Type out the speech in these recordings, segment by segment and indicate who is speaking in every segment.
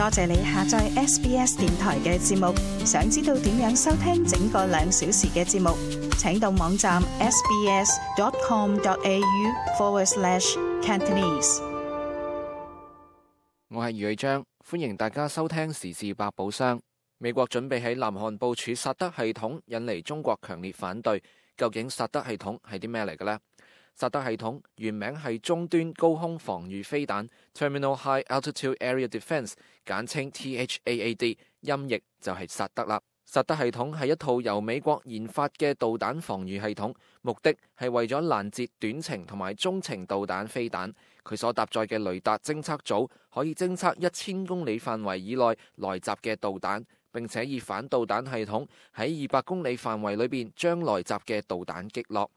Speaker 1: 多謝你下載 SBS 電台嘅節目。想知道點樣收聽整個2小時嘅節目，請到網站 sbs.com.au/Cantonese。
Speaker 2: 我係余偉章，歡迎大家收聽時事百寶箱。美國準備喺南韓部署薩德系統，引嚟中國強烈反對。究竟薩德系統係啲咩嚟嘅呢？薩德系統原名係中端高空防禦飛彈 Terminal High Altitude Area Defense， 簡稱 THAAD， 音譯就係薩德啦。薩德系統係一套由美國研發嘅導彈防禦系統，目的係為咗攔截短程同埋中程導彈飛彈。佢所搭載嘅雷達偵測組可以偵測1000公里範圍以內來襲嘅導彈，並且以反導彈系統喺200公里範圍裏邊將來襲嘅導彈擊落。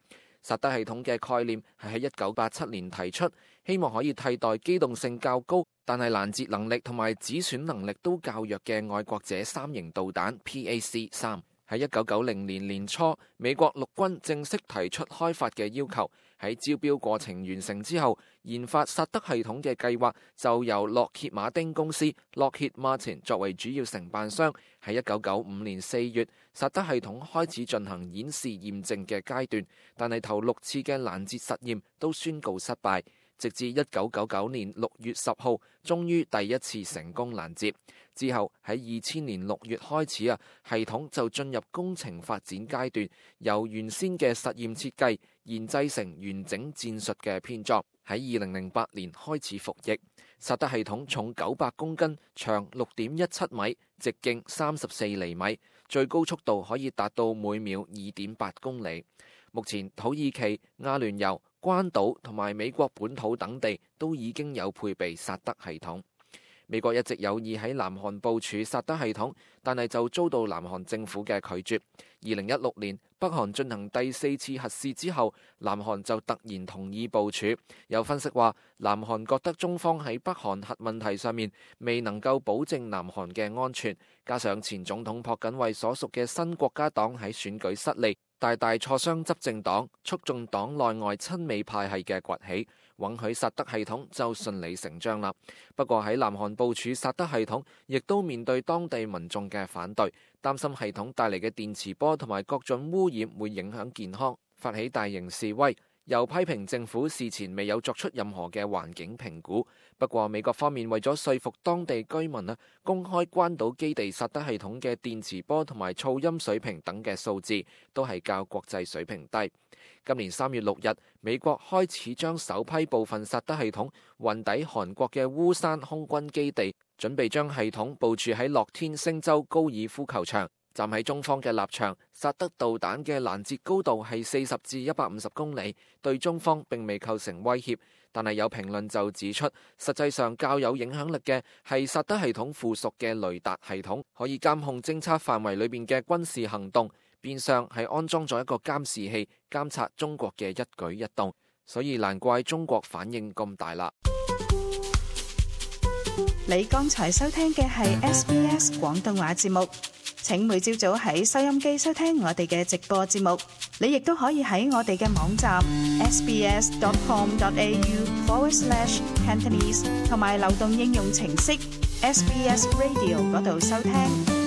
Speaker 2: 薩德系統嘅概念係喺1987年提出，希望可以替代機動性較高，但係攔截能力同埋止損能力都較弱嘅愛國者3型導彈 PAC-3。喺1990年年初，美國陸軍正式提出開發嘅要求。喺招標過程完成之後，研發薩德系統嘅計劃就由洛歇馬丁公司 Lockheed Martin 作為主要承辦商。喺1995年4月，薩德系統開始進行演示驗證嘅階段，但係頭6次嘅攔截實驗都宣告失敗，直至1999年6月10號，終於第一次成功攔截。之後喺2000年6月開始系統就進入工程發展階段，由原先嘅實驗設計研製成完整戰術嘅編作。喺2008年開始服役。薩德系統重900公斤，長6.17米，直徑34厘米，最高速度可以達到每秒2.8公里。目前土耳其、阿聯酋、關島同埋美國本土等地都已經有配備薩德系統。美國一直有意喺南韓部署薩德系統，但係就遭到南韓政府嘅拒絕。2016年北韓進行第4次核試之後，南韓就突然同意部署。有分析話，南韓覺得中方喺北韓核問題上面未能夠保證南韓嘅安全，加上前總統朴槿惠所屬嘅新國家黨喺選舉失利，大大挫傷執政黨，促進黨內外親美派系嘅崛起，允許薩德系統就順理成章啦。不過喺南韓部署薩德系統，亦都面對當地民眾嘅反對，擔心系統帶嚟嘅電磁波同埋各種污染會影響健康，發起大型示威，又批評政府事前未有作出任何嘅環境評估。不過美國方面為咗說服當地居民公開關島基地薩德系統嘅電磁波同埋噪音水平等嘅數字，都係較國際水平低。今年3月6日，美國開始將首批部分薩德系統運抵韓國嘅烏山空軍基地，準備將系統部署喺樂天星州高爾夫球場。站喺中方嘅立場，薩德導彈嘅攔截高度係40至150公里，對中方並未構成威脅。但係有評論就指出，實際上較有影響力嘅係薩德系統附屬嘅雷達系統，可以監控偵測範圍裏邊嘅軍事行動，變相係安裝咗一個監視器，監察中國嘅一舉一動。所以難怪中國反應咁大啦。
Speaker 1: 你剛才收聽嘅係 SBS 廣東話節目。請每朝早喺收音機收聽我哋嘅直播節目，你亦都可以喺我哋嘅網站 sbs.com.au/Cantonese 同埋流動應用程式 SBS Radio 嗰度收聽。